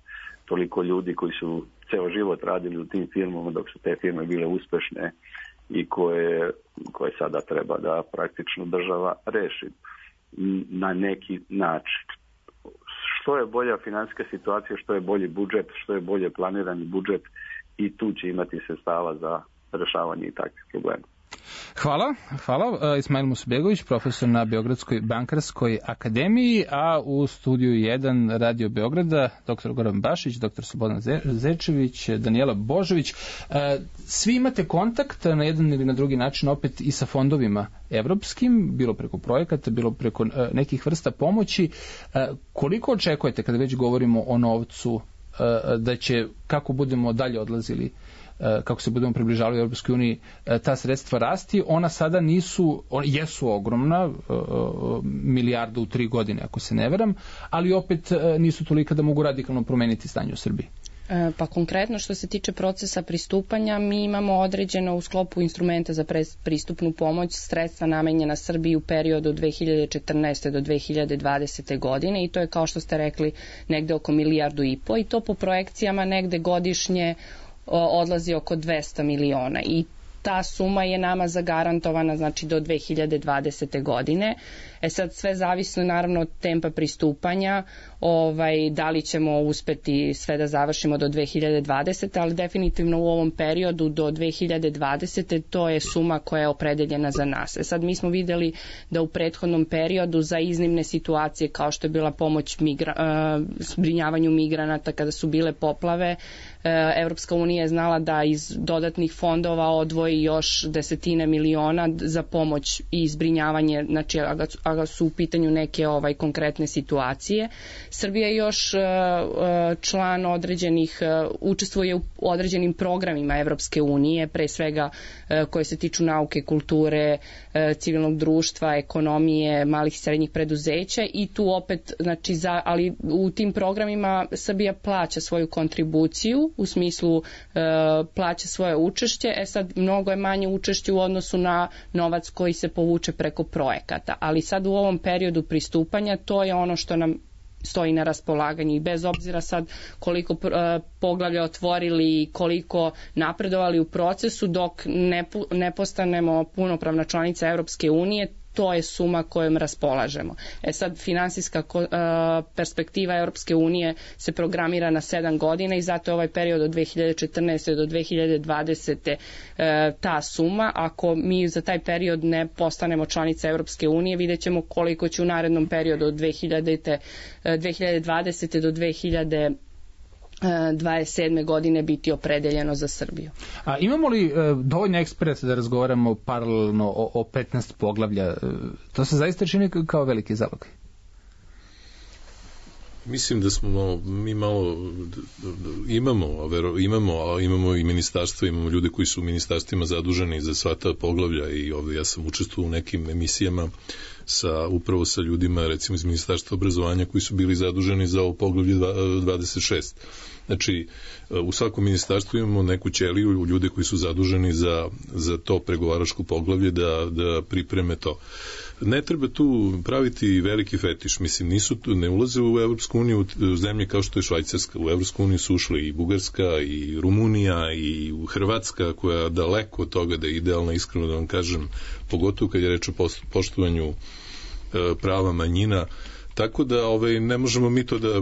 toliko ljudi koji su ceo život radili u tim firmama dok su te firme bile uspešne i koje sada treba da praktično država reši na neki način. što je bolja financijska situacija, što je bolji budžet, što je bolje planirani budžet i tu će imati sredstava za rešavanje i takvih problema. Hvala. Ismail Musabegović, profesor na Beogradskoj bankarskoj akademiji, a u studiju 1 Radio Beograda dr. Goran Bašić, dr. Slobodan Zečević, Danijela Božović. Svi imate kontakt na jedan ili na drugi način opet i sa fondovima evropskim, bilo preko projekata, bilo preko nekih vrsta pomoći. Koliko očekujete, kada već govorimo o novcu, da će, kako budemo dalje odlazili, kako se budemo približavali u Europskoj uniji, ta sredstva rasti? Ona sada jesu ogromna, milijardu u 3 godine, ako se ne veram, ali opet nisu tolika da mogu radikalno promeniti stanje u Srbiji. Pa konkretno što se tiče procesa pristupanja, mi imamo određeno u sklopu instrumenta za pristupnu pomoć sredstva namenjena Srbiji u periodu od 2014. do 2020. godine i to je, kao što ste rekli, negde oko 1,5 milijardu i to po projekcijama negde godišnje odlazi oko 200 miliona i ta suma je nama zagarantovana, znači do 2020. godine. Sad sve zavisno naravno od tempa pristupanja, da li ćemo uspeti sve da završimo do 2020. ali definitivno u ovom periodu do 2020. to je suma koja je opredeljena za nas. Sad mi smo videli da u prethodnom periodu za iznimne situacije kao što je bila pomoć zbrinjavanju migranata kada su bile poplave, Evropska unija je znala da iz dodatnih fondova odvoji još desetine miliona za pomoć i zbrinjavanje, znači a su u pitanju neke konkretne situacije. Srbija je još član određenih, učestvuje u određenim programima Evropske unije, pre svega koje se tiču nauke, kulture, civilnog društva, ekonomije, malih i srednjih preduzeća i tu opet, znači ali u tim programima Srbija plaća svoju kontribuciju, u smislu plaća svoje učešće, sad mnogo je manje učešće u odnosu na novac koji se povuče preko projekata, ali sad u ovom periodu pristupanja to je ono što nam stoji na raspolaganju i bez obzira sad koliko poglavlja otvorili i koliko napredovali u procesu, dok ne postanemo punopravna članica Evropske unije, to je suma kojom raspolažemo. Sad finansijska perspektiva Europske unije se programira na 7 godina i zato je ovaj period od 2014. do 2020. Ta suma. Ako mi za taj period ne postanemo članica Europske unije, vidjet ćemo koliko će u narednom periodu od 2020. do 2027. godine biti opredeljeno za Srbiju. A imamo li dovoljno eksperata da razgovaramo paralelno o 15 poglavlja? To se zaista čini kao veliki zalog. Mislim da smo mi malo imamo i ministarstva, imamo ljude koji su u ministarstvima zaduženi za sva ta poglavlja i ovdje ja sam učestvovao u nekim emisijama upravo sa ljudima recimo iz ministarstva obrazovanja koji su bili zaduženi za ovo poglavlje 26. Znači, u svakom ministarstvu imamo neku ćeliju, ljude koji su zaduženi za to pregovaračko poglavlje da pripreme to. Ne treba tu praviti veliki fetiš, mislim, ne ulaze u Evropsku uniju zemlje kao što je Švajcarska, u Evropsku uniju su ušli i Bugarska, i Rumunija, i Hrvatska, koja daleko od toga da je idealna, iskreno da vam kažem, pogotovo kad je reč o poštovanju prava manjina. Tako da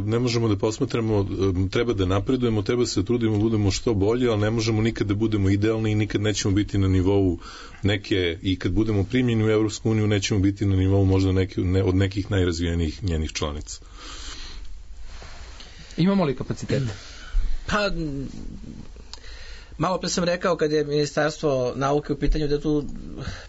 ne možemo da posmatramo, treba da napredujemo, treba se trudimo, budemo što bolje, ali ne možemo nikad da budemo idealni i nikad nećemo biti na nivou neke, i kad budemo primljeni u Evropsku uniju, nećemo biti na nivou možda od nekih najrazvijenijih njenih članica. Imamo li kapacitete? Pa, malo pre sam rekao kad je Ministarstvo nauke u pitanju da tu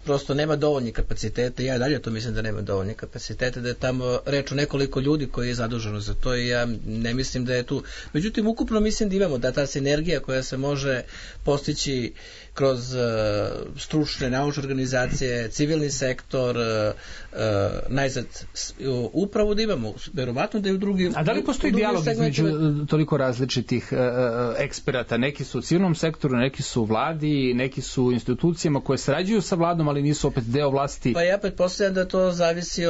prosto nema dovoljnih kapaciteta, ja dalje to mislim da nema dovoljnih kapaciteta, da je tamo reč o nekoliko ljudi koji je zaduženo za to i ja ne mislim da je tu, međutim ukupno mislim da imamo da ta sinergija koja se može postići kroz stručne naučne organizacije, civilni sektor, najzad upravo da imamo, verovatno da je u drugim. A da li postoji dijalog između toliko različitih eksperata? Neki su u civilnom sektoru, neki su u vladi, neki su u institucijama koje sarađuju sa vladom, ali nisu opet deo vlasti. Pa ja pretpostavljam da to zavisi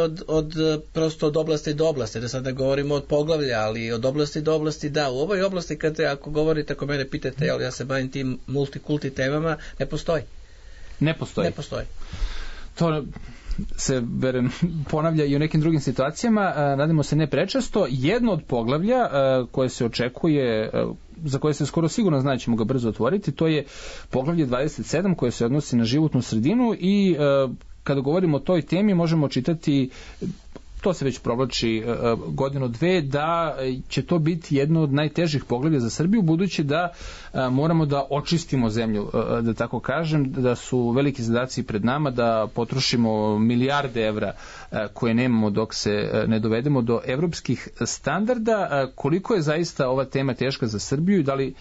prosto od oblasti do oblasti, da sada govorimo od poglavlja, ali od oblasti do oblasti da. U ovoj oblasti, ako govorite, ako mene pitate, ali ja se bavim tim multikulti temama, ne postoji. Ne postoji. Ne postoji. To se ponavlja i u nekim drugim situacijama, nadamo se ne prečesto. Jedno od poglavlja koje se očekuje, za koje se skoro sigurno zna da ćemo ga brzo otvoriti, to je poglavlje 27 koje se odnosi na životnu sredinu i kada govorimo o toj temi možemo čitati, to se već provlači godinu dve, da će to biti jedno od najtežih poglavlja za Srbiju, budući da moramo da očistimo zemlju, da tako kažem, da su veliki zadaci pred nama, da potrošimo milijarde evra koje nemamo dok se ne dovedemo do evropskih standarda. Koliko je zaista ova tema teška za Srbiju i da li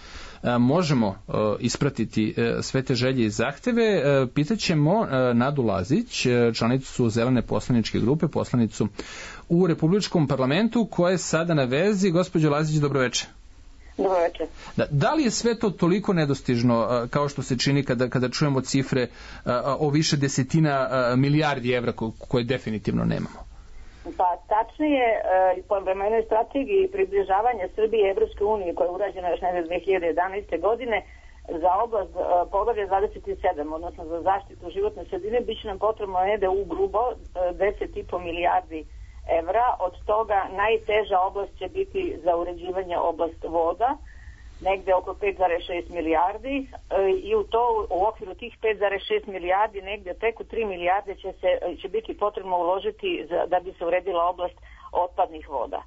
možemo ispratiti sve te želje i zahteve, pitaćemo Nadu Lazić, članicu Zelene poslaničke grupe, poslanicu u Republičkom parlamentu, koja je sada na vezi. Gospođo Lazić, dobroveče. Dobroveče. Da li je sve to toliko nedostižno kao što se čini kada čujemo cifre o više desetina milijardi evra koje definitivno nemamo? Pa tačnije, po vremenoj strategiji približavanja Srbije i Evropske unije koja je urađena još negde 2011. godine za oblast poglavlja 27, odnosno za zaštitu životne sredine, bit će nam potrebno negde u grubo 10,5 milijardi evra. Od toga najteža oblast će biti za uređivanje oblast voda, negde oko 5,6 milijardi i u okviru tih 5,6 milijardi negde preko 3 milijarde će biti potrebno uložiti da bi se uredila oblast otpadnih voda.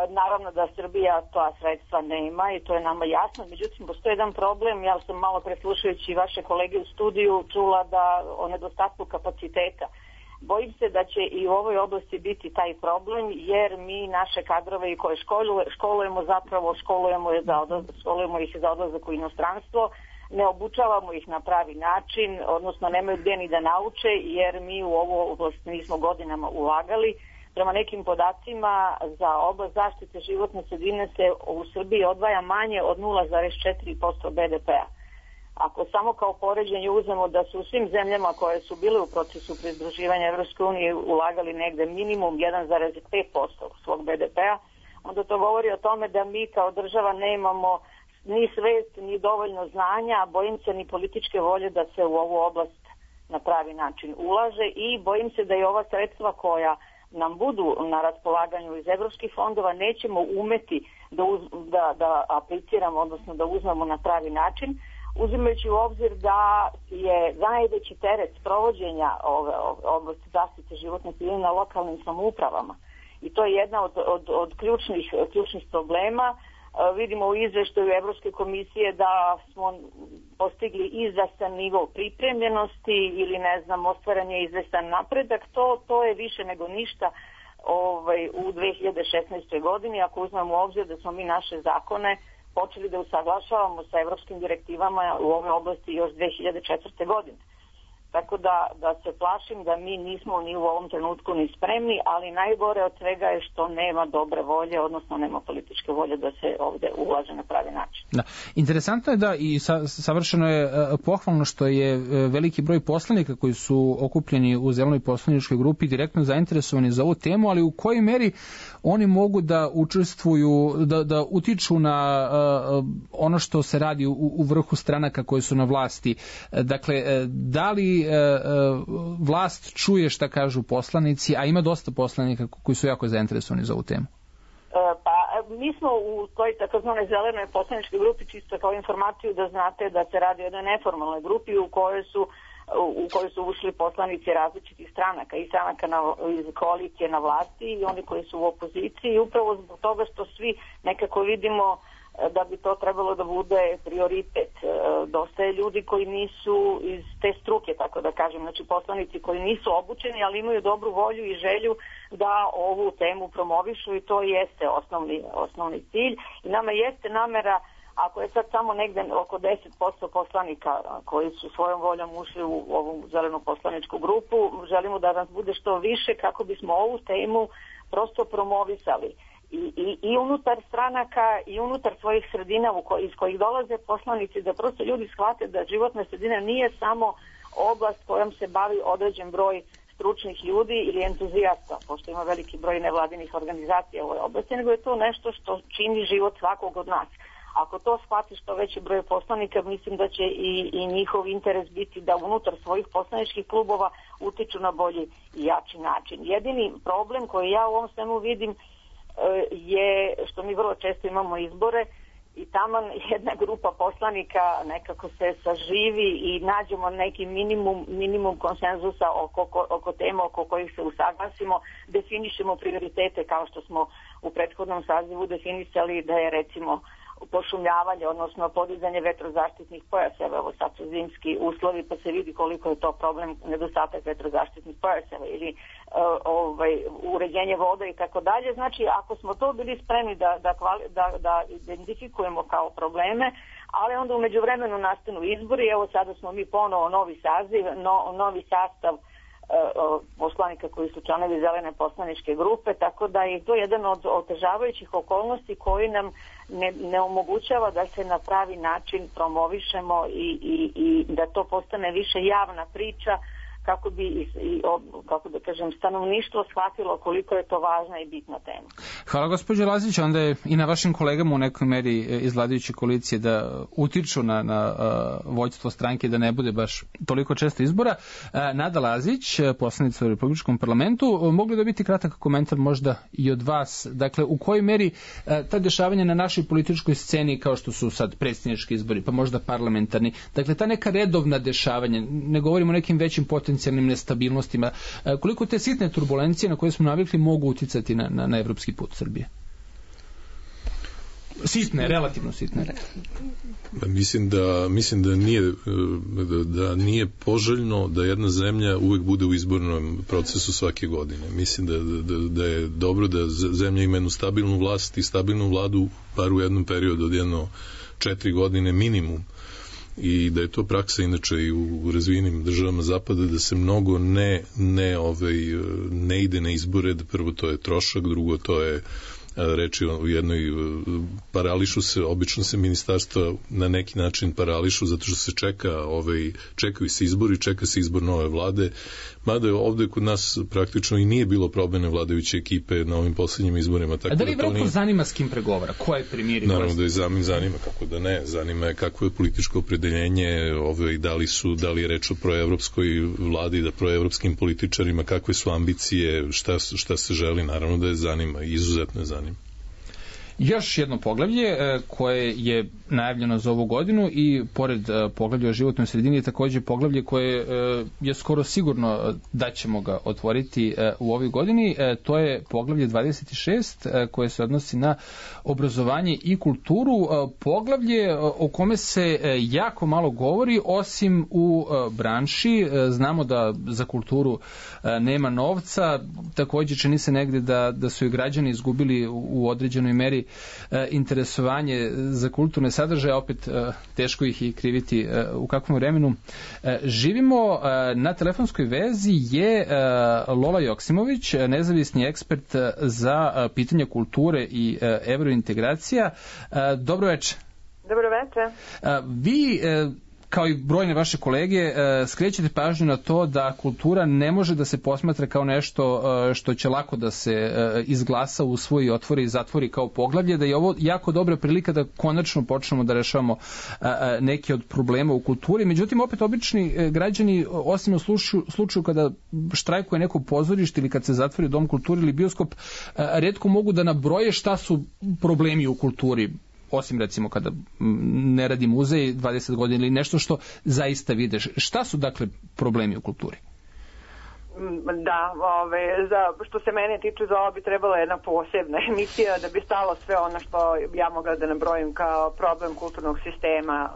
Naravno da Srbija ta sredstva nema i to je nama jasno, međutim postoji jedan problem, ja sam malo preslušajući vaše kolege u studiju čula da o nedostatku kapaciteta. Bojim se da će i u ovoj oblasti biti taj problem, jer mi naše kadrove koje školujemo ih za odlazak u inostranstvo, ne obučavamo ih na pravi način, odnosno nemaju gdje ni da nauče, jer mi u ovu oblast nismo godinama ulagali. Prema nekim podacima za oblast zaštite životne sredine se u Srbiji odvaja manje od 0,4% BDP-a. Ako samo kao poređenje uzmemo da su u svim zemljama koje su bile u procesu pridruživanja Evropske unije ulagali negde minimum 1,5% svog BDP-a, onda to govori o tome da mi kao država nemamo ni svest, ni dovoljno znanja, a bojim se ni političke volje da se u ovu oblast na pravi način ulaže i bojim se da i ova sredstva koja nam budu na raspolaganju iz evropskih fondova nećemo umeti da apliciramo, odnosno da uzmemo na pravi način, uzimajući u obzir da je najveći teret sprovođenja ove oblasti zaštite životne sredine na lokalnim samoupravama. I to je jedna od ključnih problema. Vidimo u izveštaju Evropske komisije da smo postigli izvestan nivo pripremljenosti ili ostvaren je izvestan napredak. To je više nego ništa u 2016. godini, ako uzmemo u obzir da smo mi naše zakone počeli da usaglašavamo sa evropskim direktivama u ovoj oblasti još 2004. godine. Tako da se plašim da mi nismo ni u ovom trenutku ni spremni, ali najgore od svega je što nema dobre volje, odnosno nema političke volje da se ovde ulaže na pravi način. Da. Interesantno je da i savršeno je pohvalno što je veliki broj poslanika koji su okupljeni u Zelenoj poslaničkoj grupi direktno zainteresovani za ovu temu, ali u kojoj meri oni mogu da učestvuju, da utiču na ono što se radi u vrhu stranaka koji su na vlasti. Dakle, da li vlast čuje šta kažu poslanici, a ima dosta poslanika koji su jako zainteresovani za ovu temu? Pa mi smo u toj takozvanoj zelenoj poslaničkoj grupi, čisto kao informaciju da znate da se radi o jednoj neformalnoj grupi u kojoj su ušli poslanici različitih stranaka i stranaka iz koalicije na vlasti i oni koji su u opoziciji, i upravo zbog toga što svi nekako vidimo da bi to trebalo da bude prioritet. Dosta je ljudi koji nisu iz te struke, tako da kažem, znači poslanici koji nisu obučeni, ali imaju dobru volju i želju da ovu temu promovišu i to jeste osnovni cilj. I nama jeste namera, ako je sad samo negde oko 10% poslanika koji su svojom voljom ušli u ovu zelenu poslaničku grupu, želimo da nas bude što više kako bismo ovu temu prosto promovisali. I unutar stranaka i unutar svojih sredina iz kojih dolaze poslanici, da prosto ljudi shvate da životna sredina nije samo oblast kojom se bavi određen broj stručnih ljudi ili entuzijasta, pošto ima veliki broj nevladinih organizacija u ovoj oblasti, nego je to nešto što čini život svakog od nas. Ako to shvati što veći broj poslanika, mislim da će i njihov interes biti da unutar svojih poslaničkih klubova utiču na bolji i jači način. Jedini problem koji ja u ovom svemu vidim je što mi vrlo često imamo izbore i taman jedna grupa poslanika nekako se saživi i nađemo neki minimum konsenzusa oko tema oko kojih se usaglasimo, definišemo prioritete kao što smo u prethodnom sazivu definisali da je recimo pošumljavanje, odnosno podizanje vetrozaštitnih pojaseva, evo sad su zimski uslovi pa se vidi koliko je to problem nedostatak vetrozaštitnih pojaseva ili uređenje voda i tako dalje. Znači ako smo to bili spremni da identifikujemo kao probleme, ali onda u međuvremenu nastanu izbori, evo sada smo mi ponovo novi saziv, novi sastav poslanika koji su članovi zelene poslaničke grupe, tako da je to jedan od otežavajućih okolnosti koji nam ne omogućava da se na pravi način promovišemo i da to postane više javna priča kako bi kako da kažem stanovništvo shvatilo koliko je to važna i bitna tema. Hvala gospođo Lazić, onda je i na vašim kolegama u nekoj meri iz vladajuće koalicije da utiču na vođstvo stranke da ne bude baš toliko često izbora. Nada Lazić, poslanica u Republičkom parlamentu, mogli da biti kratak komentar možda i od vas, dakle u kojoj meri ta dešavanja na našoj političkoj sceni kao što su sad predsjednički izbori, pa možda parlamentarni, dakle ta neka redovna dešavanja, ne govorimo o nekim većim potencijalnim nestabilnostima, koliko te sitne turbulencije na koje smo navikli mogu uticati na evropski put Srbije? Sitne, relativno sitne. Mislim da nije poželjno da jedna zemlja uvek bude u izbornom procesu svake godine. Mislim da je dobro da zemlja ima jednu stabilnu vlast i stabilnu vladu bar u jednom periodu od 4 godine minimum. I da je to praksa inače i u razvijenim državama zapada da se mnogo ne ide na izbore, da prvo to je trošak, drugo to je reči u jednoj obično se ministarstva na neki način parališu zato što se čekaju se izbori, čeka se izbor nove vlade, mada je ovde kod nas praktično i nije bilo promene vladajuće ekipe na ovim poslednjim izborima. Tako da li Evropu zanima s kim pregovara? Ko je premijer? Naravno da je zanima, kako da ne, zanima je kakvo je političko opredeljenje, da li je reč o proevropskoj vladi, da proevropskim političarima, kakve su ambicije, šta se želi, naravno da je zanima, izuzetno je zanima. Još jedno poglavlje koje je najavljeno za ovu godinu i pored poglavlja o životnoj sredini je također poglavlje koje je skoro sigurno da ćemo ga otvoriti u ovoj godini. To je poglavlje 26 koje se odnosi na obrazovanje i kulturu. Poglavlje o kome se jako malo govori osim u branši. Znamo da za kulturu nema novca. Također čini se negde da su i građani izgubili u određenoj meri interesovanje za kulturne sadržaje, opet teško ih i kriviti u kakvom vremenu živimo. Na telefonskoj vezi je Lola Joksimović, nezavisni ekspert za pitanja kulture i evrointegracija. Dobro večer. Dobro večer. Vi kao i brojne vaše kolege, skrećete pažnju na to da kultura ne može da se posmatra kao nešto što će lako da se izglasa, usvoji, otvori i zatvori kao poglavlje, da je ovo jako dobra prilika da konačno počnemo da rešavamo neke od problema u kulturi. Međutim, opet obični građani, osim u slučaju kada štrajkuje neko pozorište ili kad se zatvori dom kulture ili bioskop, retko mogu da nabroje šta su problemi u kulturi, osim recimo kada ne radi muzej 20 godina ili nešto što zaista vide. Šta su dakle problemi u kulturi? Da, što se mene tiče, za ovo bi trebala jedna posebna emisija da bi stalo sve ono što ja mogla da nabrojim kao problem kulturnog sistema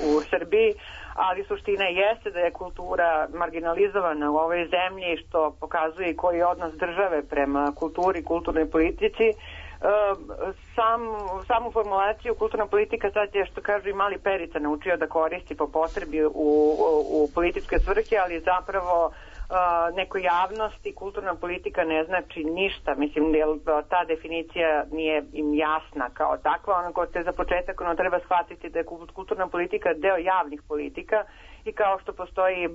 u Srbiji, ali suština jeste da je kultura marginalizovana u ovoj zemlji, što pokazuje koji je odnos države prema kulturi, kulturnoj politici. Samu formulaciju kulturna politika sad je, što kažu, i mali Perica naučio da koristi po potrebi u političke svrhe, ali zapravo nekoj javnosti kulturna politika ne znači ništa. Mislim, ta definicija nije im jasna kao takva. Za početak treba shvatiti da je kulturna politika deo javnih politika i kao što postoji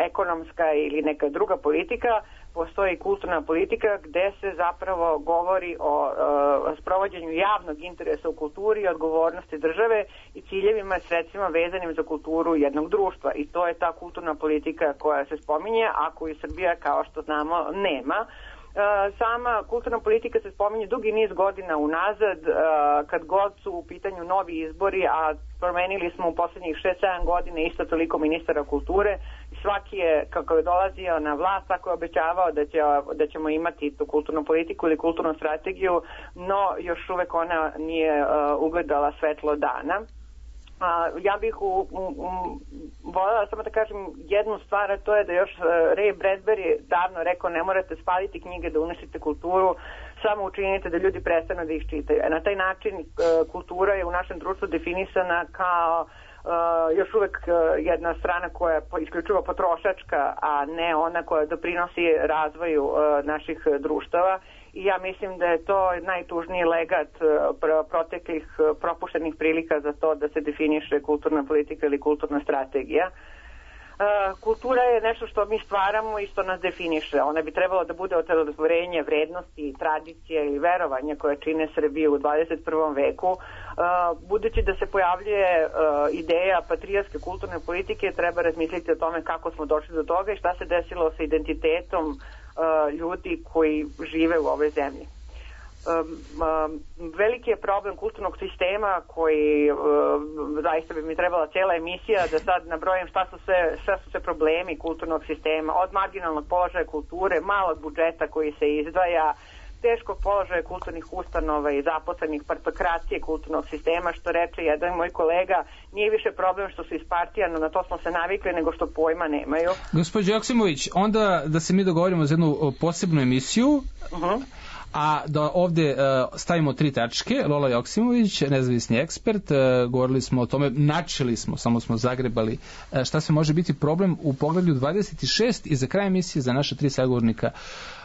ekonomska ili neka druga politika, postoji kulturna politika gde se zapravo govori o sprovođenju javnog interesa u kulturi i odgovornosti države i ciljevima i sredstvima vezanim za kulturu jednog društva. I to je ta kulturna politika koja se spominje, a koju Srbija, kao što znamo, nema. Sama kulturna politika se spominje dugi niz godina unazad, kad god su u pitanju novi izbori, a promenili smo u poslednjih 6-7 godina isto toliko ministara kulture. Svaki je, kako je dolazio na vlast, tako je obećavao da ćemo imati tu kulturnu politiku ili kulturnu strategiju, no još uvek ona nije ugledala svetlo dana. Ja bih voljela samo da kažem jednu stvar, a to je da još Ray Bradbury davno rekao: ne morate spaliti knjige da uništite kulturu, samo učinite da ljudi prestanu da ih čitaju. Na taj način kultura je u našem društvu definisana kao još uvek jedna strana koja je isključivo potrošačka, a ne ona koja doprinosi razvoju naših društava. I ja mislim da je to najtužniji legat proteklih propuštenih prilika za to da se definiše kulturna politika ili kulturna strategija. Kultura je nešto što mi stvaramo i što nas definiše. Ona bi trebalo da bude otelotvorenje vrednosti, tradicije i verovanja koje čine Srbiju u 21. veku. Budući da se pojavljuje ideja patrijarske kulturne politike, treba razmisliti o tome kako smo došli do toga i šta se desilo sa identitetom ljudi koji žive u ovoj zemlji. Veliki je problem kulturnog sistema koji zaista bi mi trebala cijela emisija da sad nabrojim šta su sve problemi kulturnog sistema, od marginalnog položaja kulture, malog budžeta koji se izdvaja, teškog položaja kulturnih ustanova i zaposlenih, partokracije kulturnog sistema, što reče jedan moj kolega, nije više problem što su iz partija, no na to smo se navikli, nego što pojma nemaju. Gospođo Joksimović, onda da se mi dogovorimo za jednu posebnu emisiju, a da ovde stavimo 3 tačke. Lola Joksimović, nezavisni ekspert, govorili smo o tome, načeli smo, samo smo zagrebali šta se može biti problem u poglavlju 26 i za kraj emisije za naša 3 sagovornika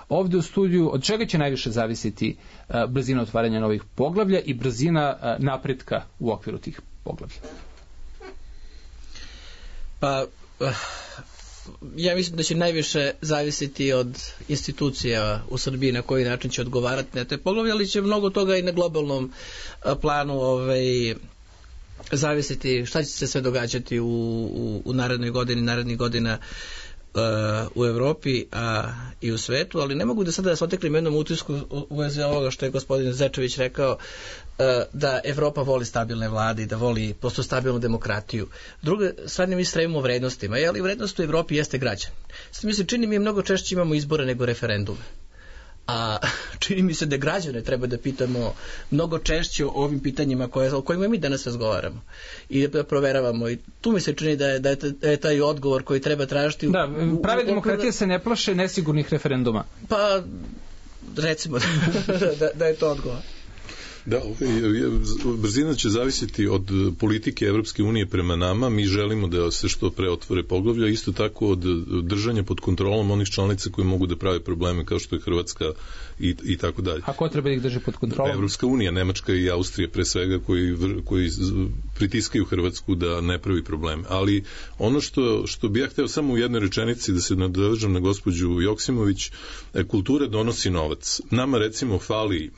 ovde u studiju, od čega će najviše zavisiti brzina otvaranja novih poglavlja i brzina napretka u okviru tih poglavlja? Pa, ja mislim da će najviše zavisiti od institucija u Srbiji na koji način će odgovarati na te poglavlje, ali će mnogo toga i na globalnom planu zavisiti šta će se sve događati u narednoj godini, narednih godina u Evropi i u svetu, ali ne mogu da sada se oteklim jednom utisku u vezi ovoga što je gospodin Zečević rekao, da Evropa voli stabilne vlade i da voli posto stabilnu demokratiju. Druga strane, mi stremimo vrednostima, ali vrednost u Evropi jeste građan. Sve mi se čini, mi mnogo češće imamo izbore nego referendume. A čini mi se da građane treba da pitamo mnogo češće o ovim pitanjima o kojima mi danas razgovaramo i da proveravamo, i tu mi se čini da je taj odgovor koji treba tražiti. Da, prave demokratije se ne plaše nesigurnih referenduma. Pa recimo da je to odgovor. Da, brzina će zavisiti od politike Evropske unije prema nama. Mi želimo da se što pre otvore poglavlja, isto tako od držanja pod kontrolom onih članica koji mogu da prave probleme kao što je Hrvatska i tako dalje. A ko treba da ih drži pod kontrolom? Evropska unija, Nemačka i Austrija pre svega, koji pritiskaju Hrvatsku da ne pravi probleme. Ali ono što bi ja hteo samo u jednoj rečenici da se nadovežem na gospođu Joksimović, kultura donosi novac. Nama recimo fali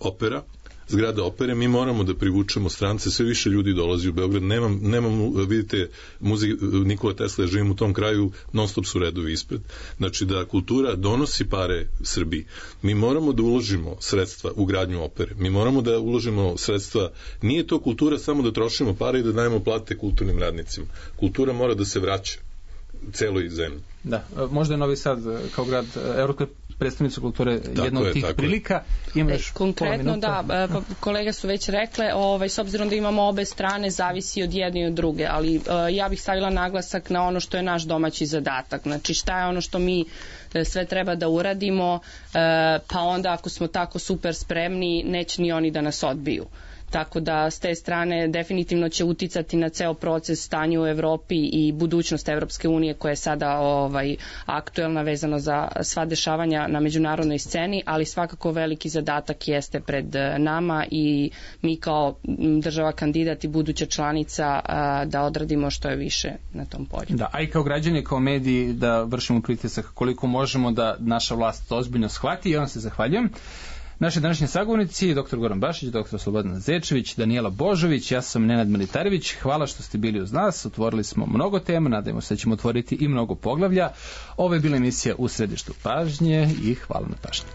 opera, zgrada opere, mi moramo da privučemo strance, sve više ljudi dolazi u Beograd, nemam vidite, Nikola Tesla, ja živim u tom kraju, non stop su redovi ispred. Znači da kultura donosi pare Srbiji. Mi moramo da uložimo sredstva u gradnju opere, mi moramo da uložimo sredstva, nije to kultura samo da trošimo pare i da dajemo plate kulturnim radnicima. Kultura mora da se vraća celoj zemlji. Da, možda je Novi Sad kao grad evropske predstavnice kulture jedna od tih prilika. Konkretno, da, kolege su već rekle, s obzirom da imamo obe strane, zavisi od jedne i od druge, ali ja bih stavila naglasak na ono što je naš domaći zadatak. Znači, šta je ono što mi sve treba da uradimo, pa onda ako smo tako super spremni, neće ni oni da nas odbiju. tako da s te strane definitivno će uticati na ceo proces stanja u Evropi i budućnost Evropske unije koja je sada aktuelna vezano za sva dešavanja na međunarodnoj sceni, ali svakako veliki zadatak jeste pred nama i mi kao država kandidat i buduća članica da odradimo što je više na tom polju. Da, a i kao građani, kao mediji da vršimo pritisak koliko možemo da naša vlast ozbiljno shvati i on se zahvaljujem. Naši današnji sagovornici, dr. Goran Bašić, dr. Slobodan Zečević, Danijela Božović, ja sam Nenad Militarević. Hvala što ste bili uz nas, otvorili smo mnogo tema, nadajmo se da ćemo otvoriti i mnogo poglavlja. Ovo je bila emisija U središtu pažnje i hvala na pažnju.